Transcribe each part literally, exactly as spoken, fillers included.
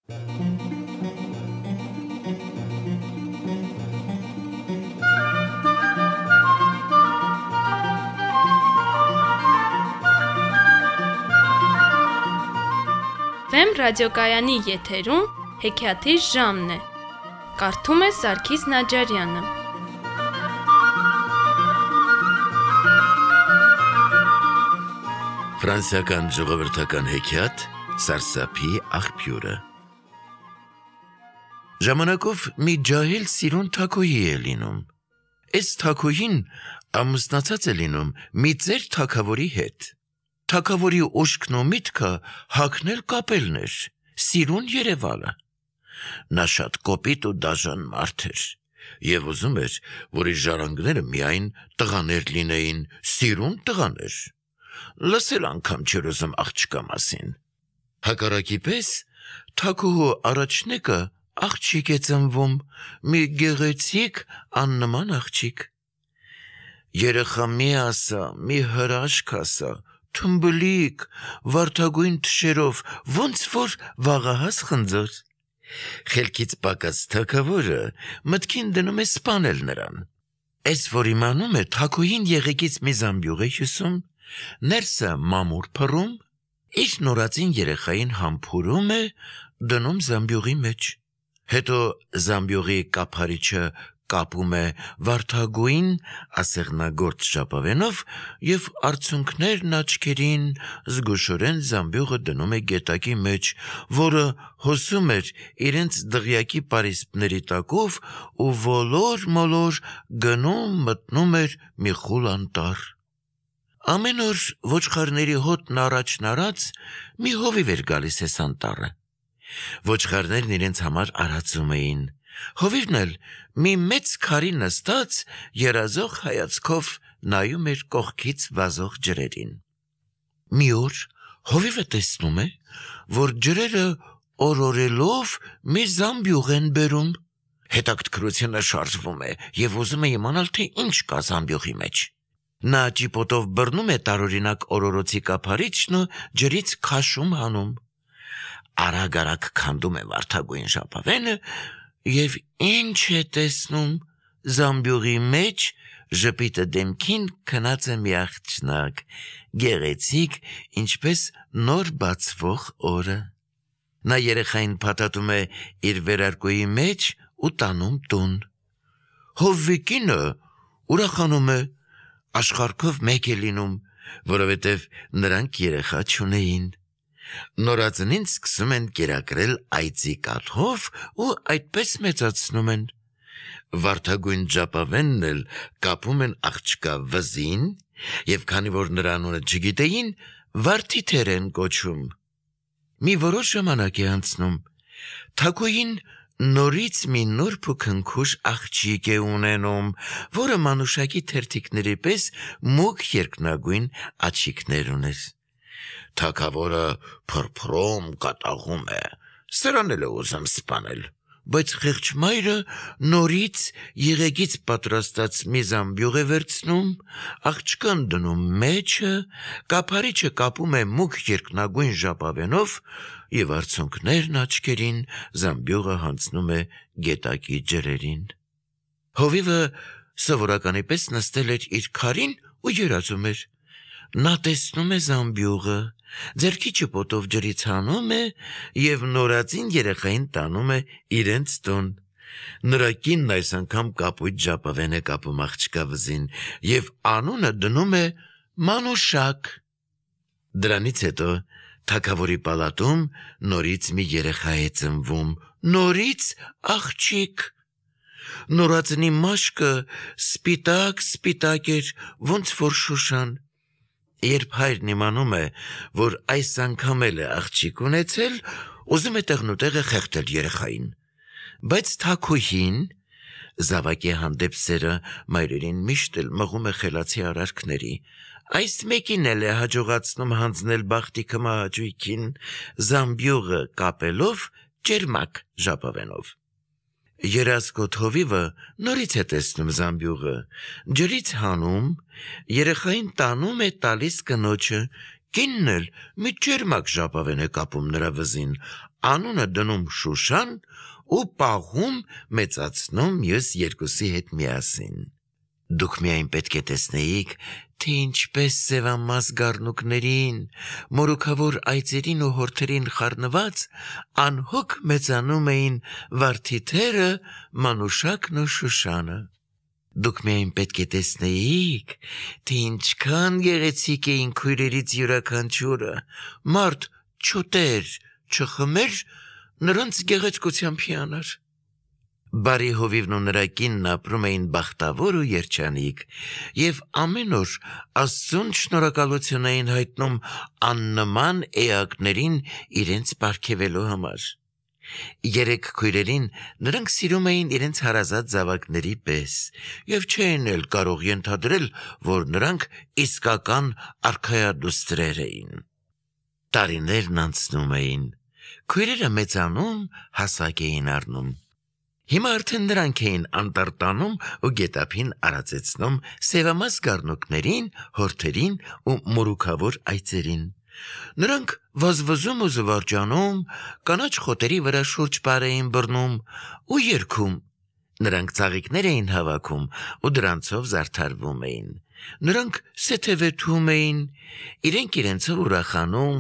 Վեմ ռադիոկայանի եթերում հեքիաթի ժամն է։ Կարդում է Սարգիս Նաջարյանը։ Ֆրանսիական ժողովրդական հեքիաթ Սարսափի աղբյուրը։ Ժամանակով մի ջահել սիրուն թագուհի է լինում։ Այս թագուհին ամուսնացած է լինում մի ծեր թագավորի հետ։ Թագավորի ուշքն ու միտքը հագնել կապելն էր, սիրուն երևալը։ Նա շատ կոպիտ ու դաժան մարդ էր և ուզում էր, որ իր ժառանգները միայն տղաներ լինեին, սիրուն տղաներ։ Լսել անգամ չէր ուզում աղջկա մասին։ Հակառակի պես թագուհու առաջնեկը աղջիկ է ծնվում, մի գեղեցիկ աննման աղջիկ։ Երեխա մի ասա, մի հրաշք ասա, թմբլիկ, վարդագույն թշերով, ոնց որ վաղահաս խնձոր։ Խելքից պակաս թագավորը մտքին դնում է սպանել նրան։ Էս որ իմանում է, թագուհին եղեգից մի զամբյուղ է հյուսում, ներսը մամուր փռում, իր նորածին երեխային համբուրում է, դնում զամբյուղի մեջ։ Հետո զամբյուղի կափարիչը կապում է վարդագույն ասեղնագործ ժապավենով և արցունքներն աչքերին զգուշորեն զամբյուղը դնում է գետակի մեջ, որը հոսում էր իրենց դղյակի պարիսպների տակով ու ոլոր մոլոր գնում մտնում էր մի խուլ անտառ։ Ամեն օր ոչխարների հոտն առաջն արած մի հովիվ էր գալիս էս անտառը։ Ոչխարներն իրենց համար արածում էին։ Հովիվն էլ մի մեծ քարի նստած երազող հայացքով նայում էր կողքից վազող ջրերին։ Մի օր հովիվը տեսնում է, որ ջրերը օրորելով մի զամբյուղ են բերում։ Հետաքրքրությունը շարժվում է և ուզում է իմանալ, թե ինչ կա զամբյուղի մեջ։ Նա ճիպոտով բռնում է տարօրինակ օրորոցի կափարիչն ու ջրից քաշում հանում։ Արագ-արագ քանդում է վարդագույն ժապավենը և ինչ է տեսնում, զամբյուղի մեջ ժպիտը դեմքին քնած է մի աղջնակ, գեղեցիկ, ինչպես նոր բացվող օրը։ Նա երեխային փաթաթում է իր վերարկուի մեջ ու տանում տուն։ Հովվի կինը ուրախանում է, աշխարհքով մեկ է լինում, որովհետև նրանք երեխա չունեին։ Նորածնին սկսում են կերակրել այծի կաթով ու այդպես մեծացնում են։ Վարդագույն ժապավենն էլ կապում են աղջկա վզին և քանի որ նրա անունը չգիտեին, վարդիթեր են կոչում։ Մի որոշ ժամանակ է անցնում, թագուհին նորից մի նուրբ ու քնքուշ աղջիկ է ունենում, որը մանուշակի թերթիկների պես մուգ երկնագույն աչիկներ ուներ։ Թագավորը փրփրում կատաղում է, սրան էլ է ուզում սպանել, բայց խեղճ մայրը նորից եղեգից պատրաստած մի զամբյուղ է վերցնում, աղջկան դնում մեջը, կափարիչը կապում է մուգ երկնագույն ժապավենով և արցունքներն աչքերին զամբյուղը հանձնում է գետակի ջրերին։ Հովիվը սովորականի պես նստել էր իր քարին ու երազում էր։ Նա տեսնում է զամբյուղը, ձեռքի ճպոտով ջրից հանում է և նորածին երեխային տանում է իրենց տուն։ Նրա կինն այս անգամ կապույտ ժապավեն է կապում աղջկա վզին և անունը դնում է Մանուշակ։ Դրանից հետո թագավորի պալատում նորից մի երեխա է ծնվում, նորից աղջիկ։ Նորածնի մաշկը սպիտակ-սպիտակ էր, ոնց որ շուշան։ Երբ հայրն իմանում է, որ այս անգամ էլ է աղջիկ ունեցել, ուզում է տեղնուտեղը խեղդել երեխային։ Բայց թագուհին, զավակի հանդեպ սերը մայրերին միշտ էլ մղում է խելացի արարքների, այս մեկին էլ է հաջողացնում հանձնել բախտի քմահաճույքին, զամբյուղը կապելով ճերմակ ժապավենով։ Երազկոտ հովիվը նորից է տեսնում զամբյուղը, ջրից հանում, երեխային տանում է տալիս կնոջը, կինն էլ մի ջերմակ ժապավեն է կապում նրա վզին, անունը դնում Շուշան ու պահում մեծացնում մյուս երկուսի հետ միասին։ Դուք միայն պետք է տեսնեիք, թե ինչպես սևամաս գառնուկներին, մորուքավոր այծերին ու հորթերին խառնված անհոգ մեծանում էին վարդիթերը, Մանուշակն ու Շուշանը։ Դուք միայն պետք է տեսնեիք, թե ինչքան գեղեցիկ էին քույրերից յուրաքանչյուրը, մարդ չուտեր, չխմեր, նրանց գեղեցկությամբ հիանար։ Բարի հովիվն ու նրա կինն ապրում էին բախտավոր ու երջանիկ, և ամեն օր Աստծուն շնորհակալություն էին հայտնում աննման էակներին իրենց պարգևելու համար։ Երեք քույրերին նրանք սիրում էին իրենց հարազատ զավակների պես և չէին էլ կարող ենթադրել, որ նրանք իսկական արքայադուստրեր էին։ Տարիներն անցնում էին, քույրերը մեծանում, հասակ էին առնում։ Հիմա արդեն նրանք էին անտառտանում ու գետափին արածեցնում սևամաս գառնուկներին, հորթերին ու մորուքավոր այծերին։ Նրանք վազվզում ու զվարճանում, կանաչ խոտերի վրա շուրջ պար էին բռնում ու երգում։ Նրանք ծաղիկներ էին հավաքում ու դրանցով զարդարվում էին։ Նրանք սեթևեթում էին, իրենք իրենցով ուրախանում,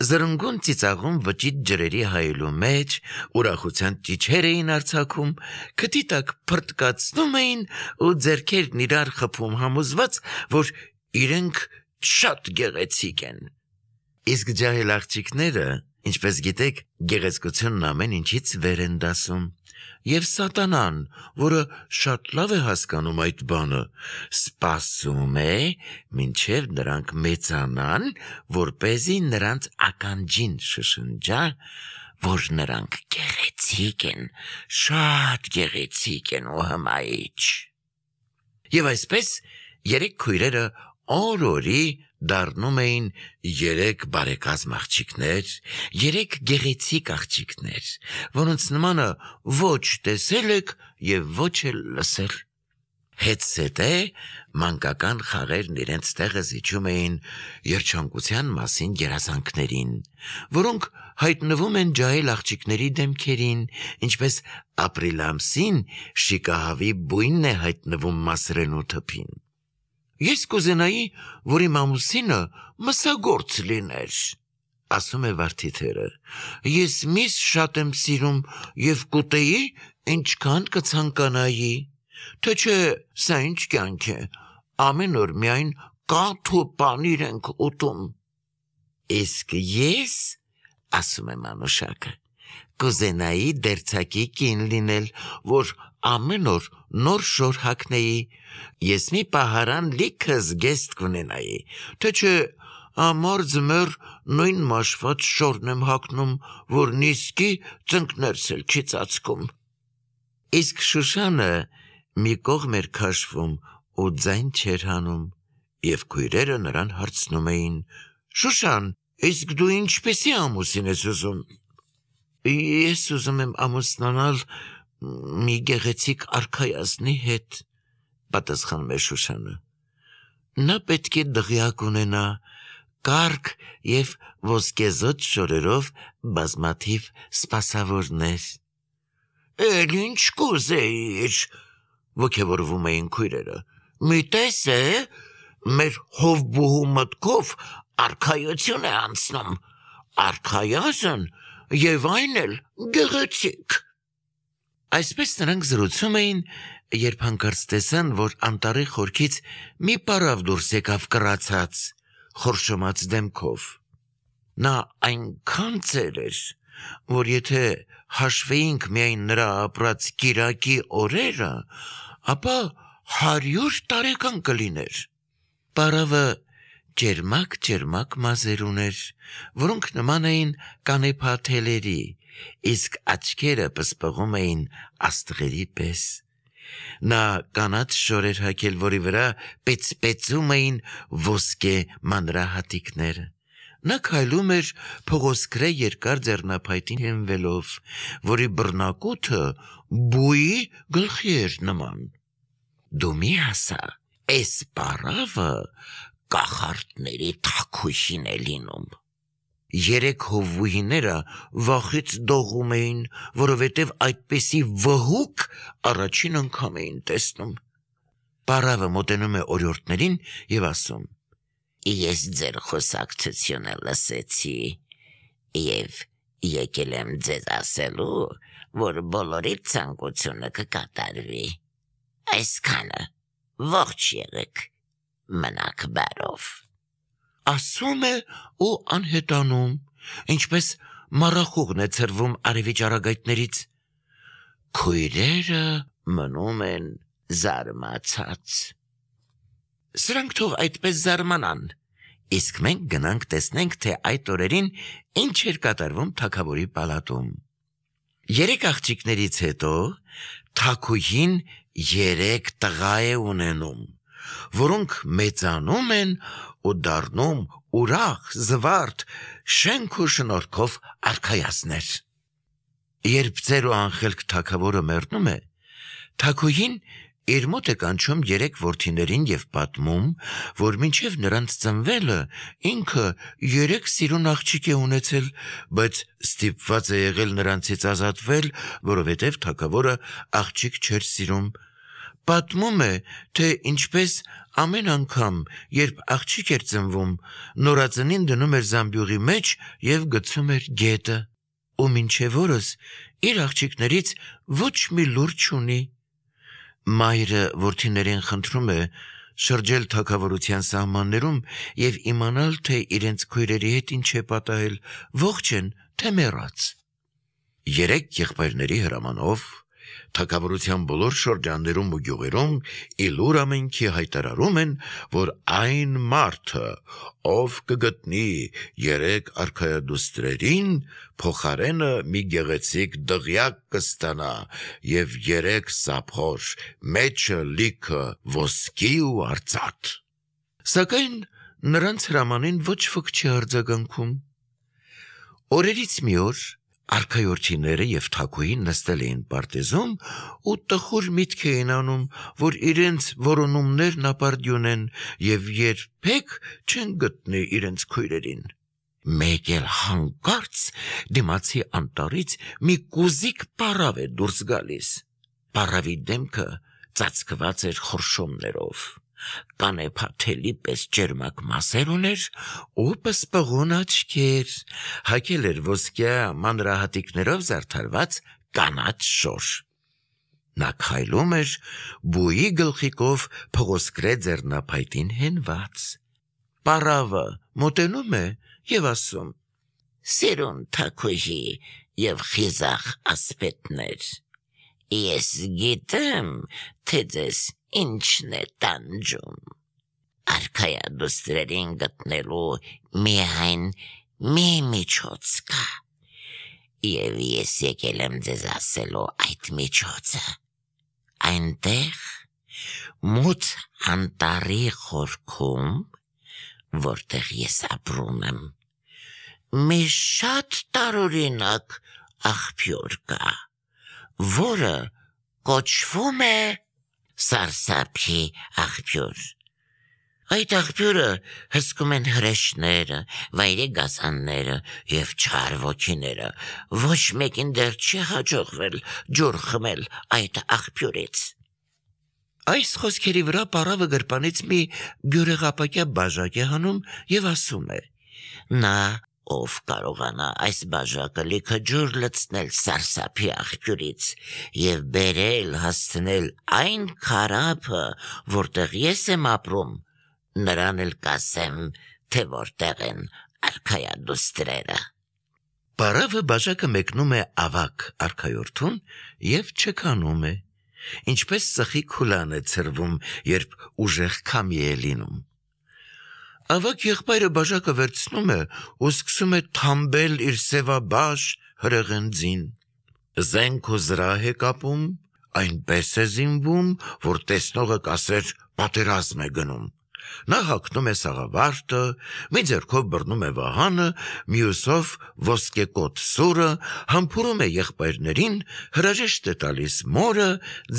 զրնգուն ծիծաղում վճիտ ջրերի հայելու մեջ, ուրախության ճիչեր էին արձակում, քթի տակ փռտկացնում էին ու ձեռքերն իրար խփում համոզված, որ իրենք շատ գեղեցիկ են։ Իսկ ջահել աղջիկները, ինչպես գիտեք, գեղեցկությունն ամեն ինչից վեր են դասում, և սատանան, որը շատ լավ է հասկանում այդ բանը, սպասում է, մինչև նրանք մեծանան, որպեսզի նրանց ականջին շշնջա, որ նրանք գեղեցիկ են, շատ գեղեցիկ են ու հմայիչ։ Եվ այսպես երեք քույրերը օր-օրի դառնում էին երեք բարեկազմ աղջիկներ, երեք գեղեցիկ աղջիկներ, որոնց նմանը ոչ տեսել եք և ոչ էլ լսել։ Հետզհետե մանկական խաղերն իրենց տեղը զիջում էին երջանկության մասին երազանքներին, որոնք հայտնվում են ջահել աղջիկների դեմքերին, ինչպես ապրիլ ամսին շիկահավի բույնն է հայտնվում մասրենու թփին։ Ես կուզենայի, որ իմ ամուսինը մսագործ լիներ, ասում է վարդիթերը։ Ես միս շատ եմ սիրում և կուտեի, ինչքան կցանկանայի։ Թե չէ, սա ինչ կյանք է, ամեն օր միայն կաթ ու պանիր ենք ուտում։ Իսկ ես, ասում է Մանուշակը, կուզենայի դերձակի կին լինել, որ ամեն օր նոր շոր հագնեի, ես մի պահարան լիքը զգեստ կունենայի, թե չէ ամառ ձմեռ նույն մաշված շորն եմ հագնում, որ նիսկի ծնկներս էլ չի ծածկում։ Իսկ Շուշանը մի կողմ էր քաշվում ու ձայն չէր հանում, և քույրերը նրան հարցնում էին. Շուշան, իսկ դու ինչպեսի ամուսին ես ուզում։ Ես ուզում եմ ամուսնանալ մի գեղեցիկ արքայազնի հետ, պատասխանում է Շուշանը։ Նա պետք է դղյակ ունենա, կառք և ոսկեզօծ շորերով բազմաթիվ սպասավորներ։ Էլ ինչ կուզեիր, ոգևորվում էին քույրերը։ Մի տես է, մեր հովբուհու մտքով արքայություն է անցնում, արքայազն և այն էլ գեղեցիկ։ Այսպես նրանք զրուցում էին, երբ հանկարծ տեսան, որ անտառի խորքից մի պարավ դուրս եկավ կռացած, խորշոմած դեմքով։ Նա այնքան ծեր էր, որ եթե հաշվեինք միայն նրա ապրած կիրակի օրերը, ապա հարյուր տարեկան կլիներ։ Պարավը ջերմակ-ջերմակ մազեր ուներ, որոնք նման էին կանեփա թելերի, իսկ աչքերը պսպղում էին աստղերի պես։ Նա կանաչ շոր էր հագել, որի վրա պեծպեծում էին ոսկե մանրահատիկները։ Նա քայլում էր փղոսկրե երկար ձեռնափայտին հենվելով, որի բռնակութը բույի գլխի էր նման։ Դու մի ասա, էս պարավը կախարդների թագուհին է լինում։ Երեք հովվուհիները վախից դողում էին, որովհետև այդպիսի վհուկ առաջին անգամ էին տեսնում։ Պարավը մոտենում է օրիորդներին և ասում. «Ես ձեր խոսակցությունը լսեցի և եկել եմ ձեզ ասելու, որ բոլորի ցանկությունը կկատարվի։ Այսքանը ողջ եղեք, մնաք բարով»։ Ասում է ու անհետանում, ինչպես մառախուղն է ցրվում արևի ճառագայթներից։ Քույրերը մնում են զարմացած։ Սրանք թող այդպես զարմանան, իսկ մենք գնանք տեսնենք, թե այդ օրերին ինչ էր կատարվում թագավորի պալատում։ Երեք աղջիկներից հետո թագուհին երեք տղա է ունենում, որոնք մեծանում են ու դառնում ուրախ, զվարթ, շենք ու շնորհքով արքայազններ։ Երբ ծեր ու անխելք թագավորը մեռնում է, թագուհին իր մոտ է կանչում երեք որդիներին և պատմում, որ մինչև նրանց ծնվելը ինքը երեք սիրուն աղջիկ է ունեցել, բայց ստիպված է եղել նրանցից ազատվել, որովհետև թագավորը աղջիկ չէր սիրում։ Պատմում է, թե ինչպես ամեն անգամ, երբ աղջիկ էր ծնվում, նորածնին դնում էր զամբյուղի մեջ և գցում էր գետը, ու մինչև օրս իր աղջիկներից ոչ մի լուր չունի։ Մայրը որդիներին խնդրում է շրջել թագավորության սահմաններում և իմանալ, թե իրենց քույրերի հետ ինչ է պատահել, ողջ են, թե մեռած։ Երեք եղբայրների հրամանով թագավորության բոլոր շրջաններում ու գյուղերում իլուր ամենքի հայտարարում են, որ այն մարդը, ով կգտնի երեք արքայադուստրերին, փոխարենը մի գեղեցիկ դղյակ կստանա և երեք սափոր, մեջը լիքը ոսկի ու արծաթ։ Սակայն նրանց հրամանին ոչ ոք չի արձագանքում։ Օրերից մի օր արքայորդիները և թագուհին նստել էին պարտեզում ու տխուր միտք էին անում, որ իրենց որոնումներն ապարդյուն են և երբեք չեն գտնի իրենց քույրերին։ Մեկ էլ հանկարծ դիմացի անտառից մի կուզիկ պառավ է դուրս գալիս։ Պառավի դեմքը ծածկված էր խորշոմներով, կանեփաթելի պես ճերմակ մասեր ուներ ու պսպղուն աչքեր, հագել էր ոսկյա մանրահատիկներով զարդարված կանաչ շոր։ Նա քայլում էր բույի գլխիկով փղոսկրե ձեռնափայտին հենված։ Պառավը մոտենում է և ասում. «Սիրուն թագուհի և խիզախ ասպետներ, ես գիտեմ, թե ձեզ ինչն է տանջում։ Արքայադուստրերին գտնելու միայն մի միջոց կա, և ես եկել եմ ձեզ ասելու այդ միջոցը։ Այնտեղ մութ անտառի խորքում, որտեղ ես ապրում եմ, մի շատ տարօրինակ աղբյուր կա, որը կոչվում է Սարսափի աղբյուր։ Այդ աղբյուրը հսկում են հրեշները, վայրի գազանները և չար ոգիները, ոչ մեկին դեռ չի հաջողվել ջուր խմել այդ աղբյուրից»։ Այս խոսքերի վրա պառավը գրպանից մի բյուրեղապակյա բաժակ է հանում և ասում է. «Նա, ով կարողանա այս բաժակը լիքը ջուր լցնել Սարսափի աղբյուրից և բերել հասցնել այն քարափը, որտեղ ես եմ ապրում, նրան էլ կասեմ, թե որտեղ են արքայադուստրերը»։ Պառավը բաժակը մեկնում է ավագ արքայորդուն և չքանում է, ինչպես սխի քուլան է ցրվում, երբ ուժեղ քամի է լինում։ Ավագ եղբայրը բաժակը վերցնում է ու սկսում է թամբել իր սևաբաշ հրեղեն ձին։ Զենք ու զրահ է կապում, այնպես է զինվում, որ տեսնողը կասեր պատերազմ է գնում։ Նա հագնում է սաղավարտը, մի ձեռքով բռնում է վահանը, մյուսով ոսկեկոտ սուրը, համբուրում է եղբայրներին, հրաժեշտ է տալիս մորը,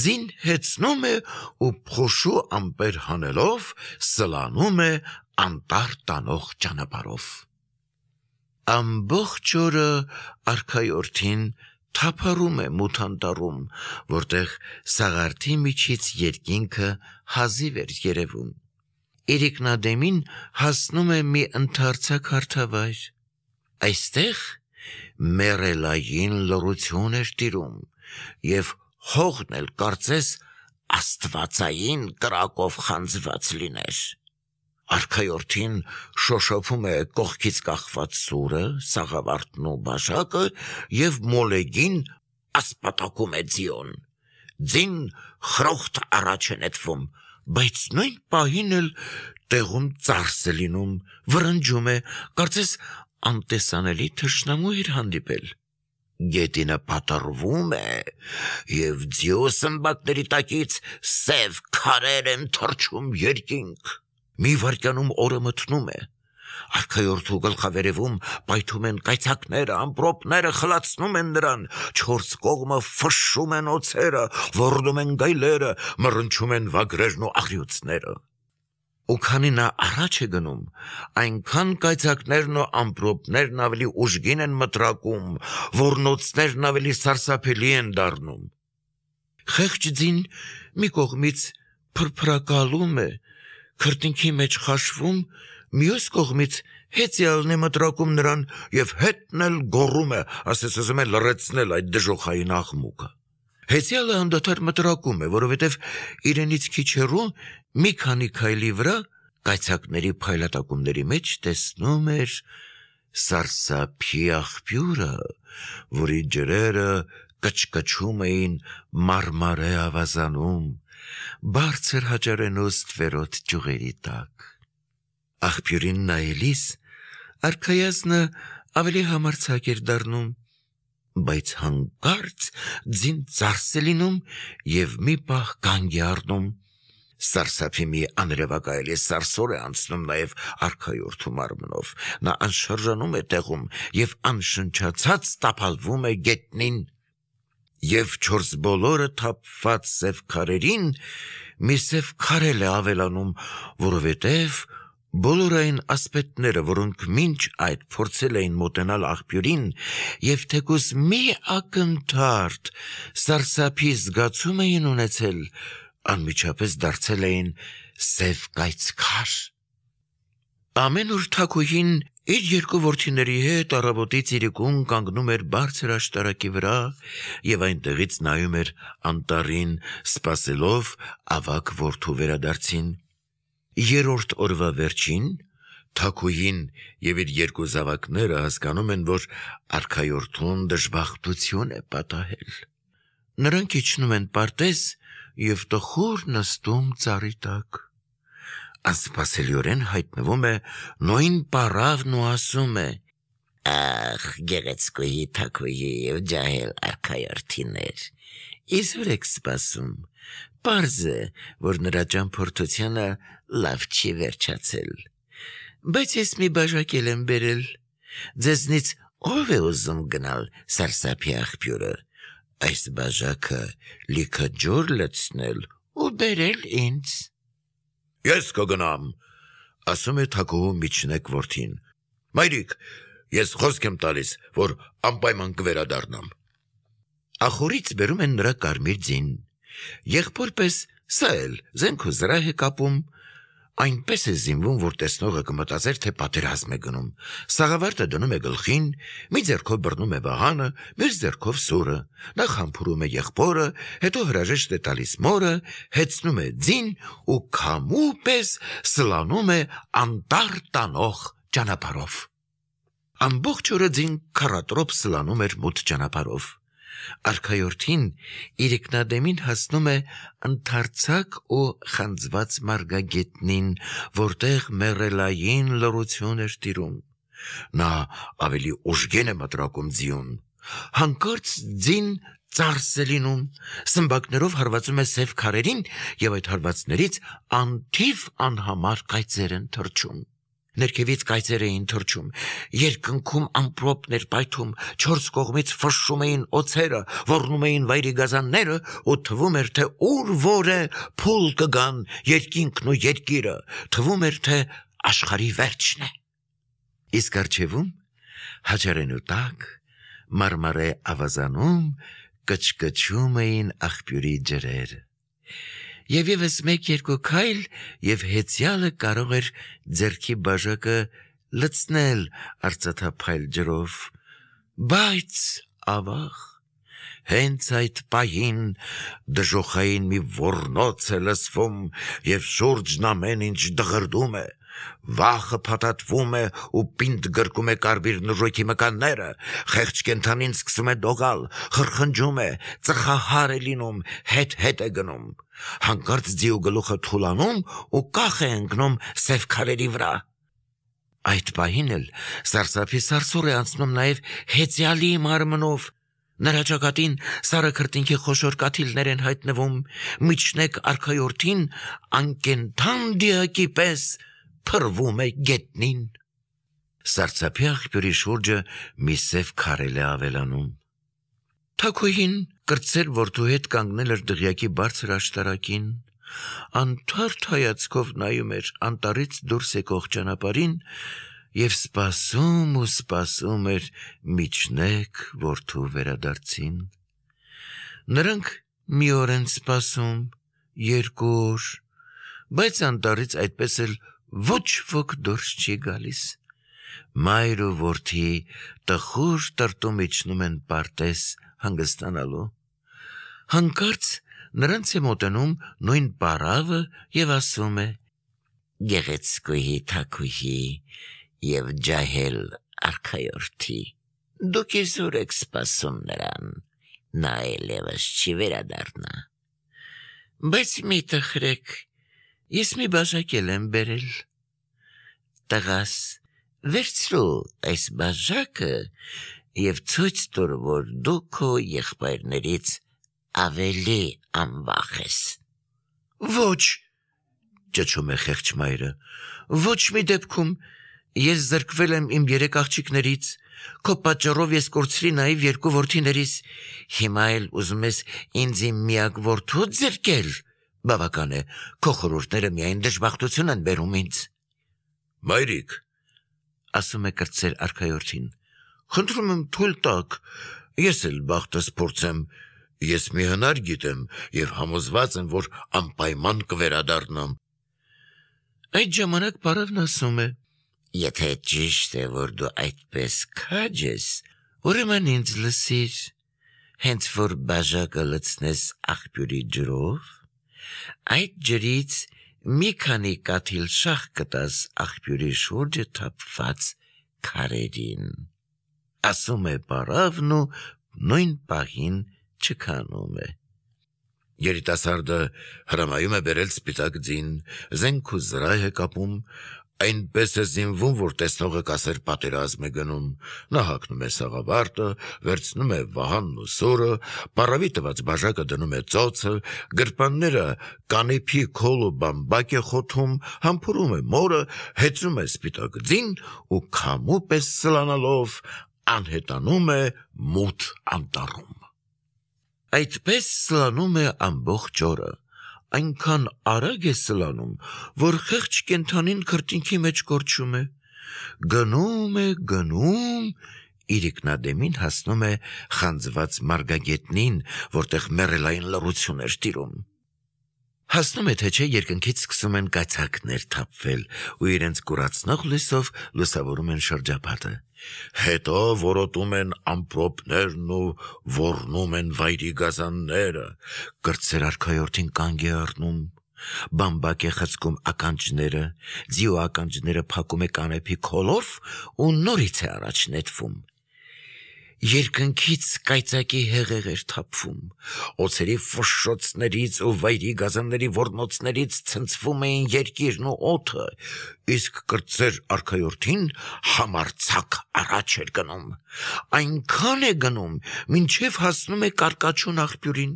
ձին հեծնում է ու փոշու ամպեր հանելով սլանում է անտառ տանող ճանապարհով։ Ամբողջ օրը արքայորդին թափառում է մութ անտառում, որտեղ սաղարթի միջից երկինքը հազիվ էր երևում։ Իրիկնադեմին հասնում է մի ընդարձակ հարթավայր։ Այստեղ մեռելային լռություն էր տիրում, և հողն էլ կարծես աստվածային կրակով խանձված լիներ։ Արքայորդին շոշափում է կողքից կախված սուրը, սաղավարտն ու բաժակը և մոլեգին ասպատակում է ձիոն։ Ձին խրոխտ առաջ է նետվում, բայց նույն պահին էլ տեղում ծարս է լինում, վրնջում է, կարծես անտեսանելի թշնամու էր հանդիպել։ Գետինը պատռվում է, և ձիու սմբակների տակից սև քարեր են թռչում երկինք։ Մի վայրկյանում օրը մթնում է։ Արքայորդու գլխավերևում պայթում են կայծակները, ամպրոպները խլացնում են նրան, չորս կողմը ֆշշում են օձերը, ոռնում են գայլերը, մռնչում են վագրերն ու աղյուցները։ Ու քանի նա առաջ է գնում, այնքան կայծակներն ու ամպրոպներն ավելի ուժգին են մտրակում, ոռնոցներն ավելի սարսափելի են դառնում։ Խեղճ ձին մի կողմից փրփրակալում է, քրտինքի մեջ խաշվում, մյուս կողմից հեծյալն է մտրակում նրան և հետն էլ գոռում է, ասես ուզում է լռեցնել այդ դժոխային աղմուկը։ Հեծյալը անդադար մտրակում է, որովհետև իրենից քիչ հեռու մի քանի քայլի վրա կայծակների փայլատակումների մեջ տեսնում էր սարսափի աղբյուրը, որի ջրերը կչկչում էին մարմարե ավազանում, բարձր հաճարենու ստվերոտ ճյուղերի տակ։ Աղբյուրին նայելիս արքայազնը ավելի համարձակ էր դառնում, բայց հանկարծ ձին ծարս է լինում և մի պահ կանգ է առնում։ Սարսափի մի անրևակայելի սարսոր է անցնում նաև արքայորդու մարմնով։ Նա անշրջանում է տեղում և անշնչացած տապալվում է գետնին։ Եվ չորս բոլորը թափված սև քարերին մի սև քար էլ է ավելանում, որովհետև բոլոր այն ասպետները, որոնք մինչ այդ փորձել էին մոտենալ աղբյուրին և թեկուզ մի ակնթարթ սարսափի զգացում էին ունեցել, անմիջապես դարձել էին սև կայծքար։ Ամեն օր թագուհին իր երկու որդիների հետ առավոտից իրիկուն կանգնում էր բարձր աշտարակի վրա և այնտեղից նայում էր անտառին, սպասելով ավագ որդու վերադարձին։ Երրորդ օրվա վերջին թագուհին և իր երկու զավակները հասկանում են, որ արքայորդուն դժբախտություն է պատահել։ Նրանք իջնում են պարտեզ և տխուր նստում ծառի տակ։ Անսպասելիորեն հայտնվում է նույն պառավն ու ասում է. «Ախ, գեղեցկուհի թագուհի և ջահել արքայորդիներ, իզուր եք սպասում։ Պարզ է, որ նրա ճամփորդությունը լավ չի վերջացել։ Բայց ես մի բաժակ էլ եմ բերել։ Ձեզնից ով է ուզում գնալ սարսափի աղբյուրը, այս բաժակը լիքը ջուր լցնել ու բերել ինձ»։ «Ես կգնամ», ասում է թագուհու միջնեկ որդին։ «Մայրիկ, ես խոսք եմ տալիս, որ անպայման կվերադառնամ»։ Ախորից բերում են նրա կարմիր ձին։ Եղբոր պես սա էլ զենք ու զրահ է կապում, այնպես է զինվում, որ տեսնողը կմտածեր, թե պատերազմ է գնում։ Սաղավարտը դնում է գլխին, մի ձեռքով բռնում է վահանը, մյուս ձեռքով սուրը։ Նախ համբուրում է եղբորը, հետո հրաժեշտ է տալիս մորը, հեծնում է ձին ու քամու պես սլանում է անտառ տանող ճանապարհով։ Ամբողջ օրը ձին քառատրոփ սլանում էր մութ ճանապարհով։ Արքայորդին իրիկնադեմին հասնում է ընդարձակ ու խանձված մարգագետնին, որտեղ մեռելային լռություն էր տիրում։ Նա ավելի ուժգին է մտրակում ձիուն։ Հանկարծ ձին ծարս է լինում, սմբակներով հարվածում է սև քարերին և այդ հարվածներից անթիվ անհամար կայծեր են թռչում։ Ներքևից կայծեր էին թռչում, երկնքում ամպրոպներ պայթում, չորս կողմից ֆշշում էին օձերը, ոռնում էին վայրի գազանները ու թվում էր, թե ուր որ է փուլ կգան երկինքն ու երկիրը, թվում էր, թե աշխարհի վերջն է։ Իսկ արջևում հաճարենու տակ մարմարե ավազանում կչկչում էին աղբյուրի ջրեր։ Եվ եւս մեկ-երկու քայլ եւ հեծյալը կարող էր ձեռքի բաժակը լցնել արծաթափայլ ջրով, բայց ավաղ հենց այդ պահին դժոխային մի ոռնոց է լսվում եւ շուրջն ամեն ինչ դղրդում է, վախը փաթաթվում է ու պինդ գրկում է կարմիր նժույգի մկանները, խեղճ կենդանին սկսում է դողալ, խրխնջում է, ծխահար է լինում, հետ-հետ է գնում, հանկարծ ձիու գլուխը թուլանում ու կախ է ընկնում սև քարերի վրա։ Այդ պահին էլ սարսափի սարսուռ է անցնում նաեւ հեծյալի մարմնով, նրա ճակատին սառը քրտինքի խոշոր կաթիլներ են հայտնվում, միջնեկ արքայորդին անկենդան դիակի պես փռվում է գետնին։ Սարսափի աղբյուրի շուրջը մի սև քարել է ավելանում։ Թագուհին կրտսեր որդու հետ կանգնել էր դղյակի բարձր աշտարակին, անթարթ հայացքով նայում էր անտառից դուրս եկող ճանապարհին եւ սպասում ու սպասում էր միջնեկ որդու վերադարձին։ Նրանք մի օր են սպասում, երկու օր, բայց անտառից այդպես էլ ոչ ոք դուրս չի գալիս։ Մայր ու որդի տխուր տրտում իջնում են պարտեզ հանգստանալու։ Հանկարծ նրանց է մոտենում նույն պարավը եւ ասում է. «Գեղեցկուհի թագուհի եւ ջահել արքայորդի, դուք իզուր եք սպասում նրան, նա այլևս չի վերադառնա, բայց մի տխրեք, ես մի բաժակ եմ բերել, տղաս, վերցրու այս բաժակը եւ ցույց տուր, որ դու քո եղբայրներից ավելի անվախ ես»։ «Ոչ», ճչում է խեղճ մայրը, «ոչ մի դեպքում, ես զրկվել եմ իմ երեք աղջիկներից, քո պատճառով ես կորցրի նաեւ երկու որդիներիս, հիմա էլ ուզում ես ինձ իմ միակ որդուդ զրկել, բավական է, քո խորհուրդները միայն դժբախտություն են բերում ինձ»։ «Մայրիկ», ասում է կրտսեր արքայորդին, «խնդրում եմ թույլ տաք, ես էլ բախտս փորձեմ, ես մի հնար գիտեմ եւ համոզված եմ, որ անպայման կվերադառնամ»։ Այդ ժամանակ պարավն ասում է. «Եթե ճիշտ է, որ դու այդպես քաջ ես, ուրեմն ինձ լսիր, հենց որ բաժակը լցնես աղբյուրի ջրով, այդ ջրից մի քանի կաթիլ շաղ կտաս աղբյուրի շուրջը թափված քարերին»։ Ասում է պարավն ու նույն պահին չքանում է։ Երիտասարդը հրամայում է բերել սպիտակ ձին, զենք ու զրահ է կապում, այնպես է զինվում, որ տեսնողը կասեր պատերազմ է գնում, նա հագնում է սաղավարտը, վերցնում է վահանն ու սուրը, պարավի տված բաժակը դնում է ծոցը, գրպանները կանեփի քոլ ու բամբակ է խոթում, համբուրում է մորը, հեծում է սպիտակ ձին ու քամու պես սլանալով անհետանում է մութ անտառում։ Այդպես սլանում է ամբողջ օրը, այնքան արագ է սլանում, որ խեղճ կենդանին քրտինքի մեջ կորչում է, գնում է, գնում, իրիկնադեմին հասնում է խանձված մարգագետնին, որտեղ մեռելային լռություն էր տիրում։ Հասնում է, թե չէ, երկնքից սկսում են կայծակներ թափվել ու իրենց կուրացնող լույսով լուսավորում են շրջապատը։ Հետո որոտում են ամպրոպներն ու ոռնում են վայրի գազանները, կրտսեր արքայորդին կանգ է առնում, բամբակ է խցկում ականջները, ձիու ականջները փակում է կանեփի քոլով ու նորից է առաջ նետվում։ Երկնքից կայծակի հեղեղ էր թափվում, օձերի ֆշշոցներից ու վայրի գազանների ոռնոցներից ցնցվում էին երկիրն ու օդը, իսկ կրտսեր արքայորդին համարձակ առաջ էր գնում, այնքան է գնում, մինչև հասնում է կարկաչուն աղբյուրին։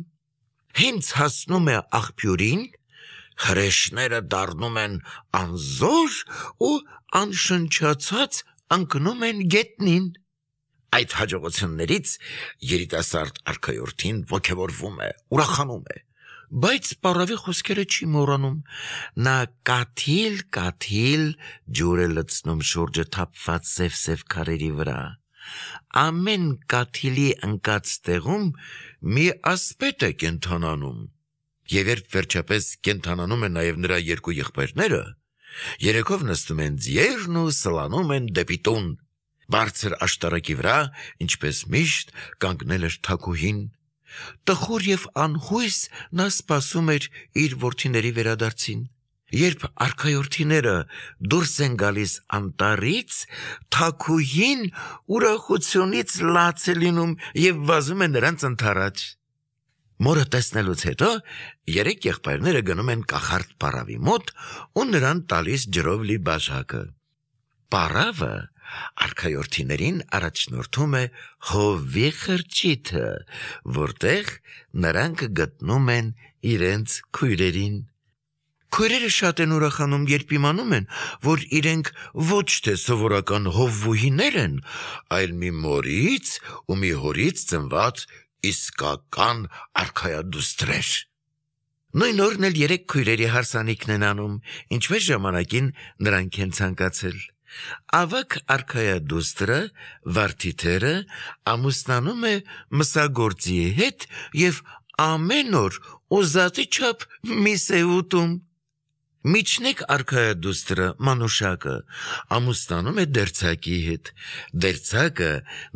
Հենց հասնում է աղբյուրին, հրեշները դառնում են անզոր ու անշնչացած ընկնում են գետնին։ Այդ հաջողություններից երիտասարդ արքայորդին ոգևորվում է, ուրախանում է, բայց պարավի խոսքերը չի մոռանում։ Նա կաթիլ-կաթիլ ջուր է լցնում շուրջը թափված սև-սև քարերի վրա։ Ամեն կաթիլի ընկած տեղում մի ասպետ է կենթանանում։ Եվ երբ վերջապես կենթանանում են նաև նրա երկու եղբայրները, երեքով նստում են ձիերն ու սլանում են դեպի տուն։ Բարձր աշտարակի վրա, ինչպես միշտ, կանգնել էր թագուհին։ Տխուր և անհույս նա սպասում էր իր որդիների վերադարձին։ Երբ արքայորդիները դուրս են գալիս անտառից, թագուհին ուրախությունից լաց է լինում և վազում է նրանց ընդառաջ։ Մորը տեսնելուց հետո երեք եղբայրները գնում են կախարդ պարավի մոտ ու նրան տալիս ջրով լի բաժակը։ Պարավը արքայորդիներին առաջնորդում է հովվի խրճիթը, որտեղ նրանք գտնում են իրենց քույրերին։ Քույրերը շատ են ուրախանում, երբ իմանում են, որ իրենք ոչ թե սովորական հովվուհիներ են, այլ մի մորից ու մի հորից ծնված իսկական արքայադուստրեր։ Նույն օրն էլ երեք քույրերի հարսանիքն են անում, ինչպես ժամանակին նրանք են ցանկացել։ Ավագ արքայադուստրը, վարդիթերը, ամուսնանում է մսագործիի հետ և ամեն օր ուզածի չափ միս է ուտում։ Միջնեկ արքայադուստրը, մանուշակը, ամուսնանում է դերձակի հետ։ Դերձակը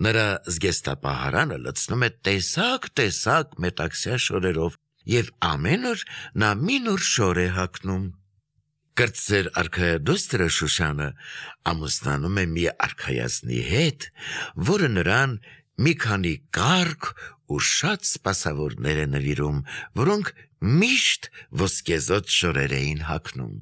նրա զգեստապահարանը լցնում է տեսակ-տեսակ մետաքսյա շորերով և ամեն օր նա մի նոր շոր է հագնում։ Կրտսեր արքայադուստրը Շուշանը ամուսնանում է մի արքայազնի հետ, որը նրան մի քանի կառք ու շատ սպասավորներ է նվիրում, որոնք միշտ ոսկեզօծ շորեր էին հագնում։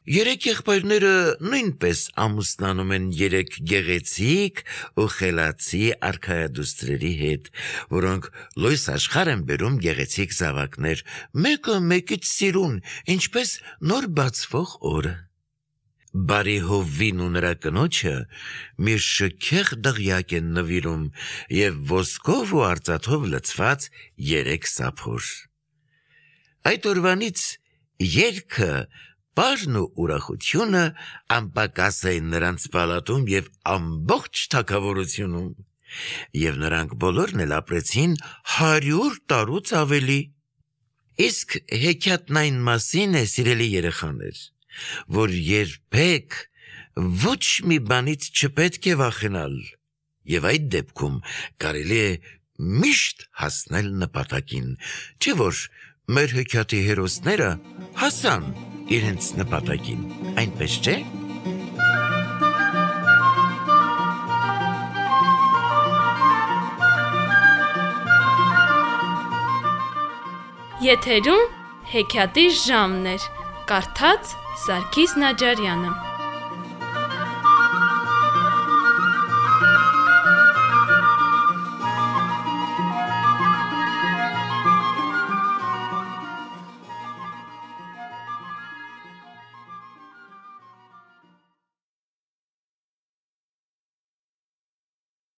Երեք եղբայրները նույնպես ամուսնանում են երեք գեղեցիկ ու խելացի արքայադուստրերի հետ, որոնք լույս աշխարհ են բերում գեղեցիկ զավակներ, մեկը մեկից սիրուն, ինչպես նոր բացվող օրը։ Բարի հովվին ու նրա կնոջը մի շքեղ դղյակ են նվիրում և ոսկով ու արծաթով լցված երեք սափոր։ Այդ օրվանից երգը, պարն ու ուրախությունը անպակաս էին նրանց պալատում և ամբողջ թագավորությունում, և նրանք բոլորն էլ ապրեցին հարյուր տարուց ավելի։ Իսկ հեքիաթն այն մասին է, սիրելի երեխաներ, որ երբեք ոչ մի բանից չպետք է վախենալ, և այդ դեպքում կարելի է միշտ հասնել նպատակին, չէ՞ որ մեր հեքիաթի հերոսները հասան իրենց նպատակին, այնպես չէ՞։ Եթերում հեքիաթի ժամն էր, կարդաց Սարգիս Նաջարյանը։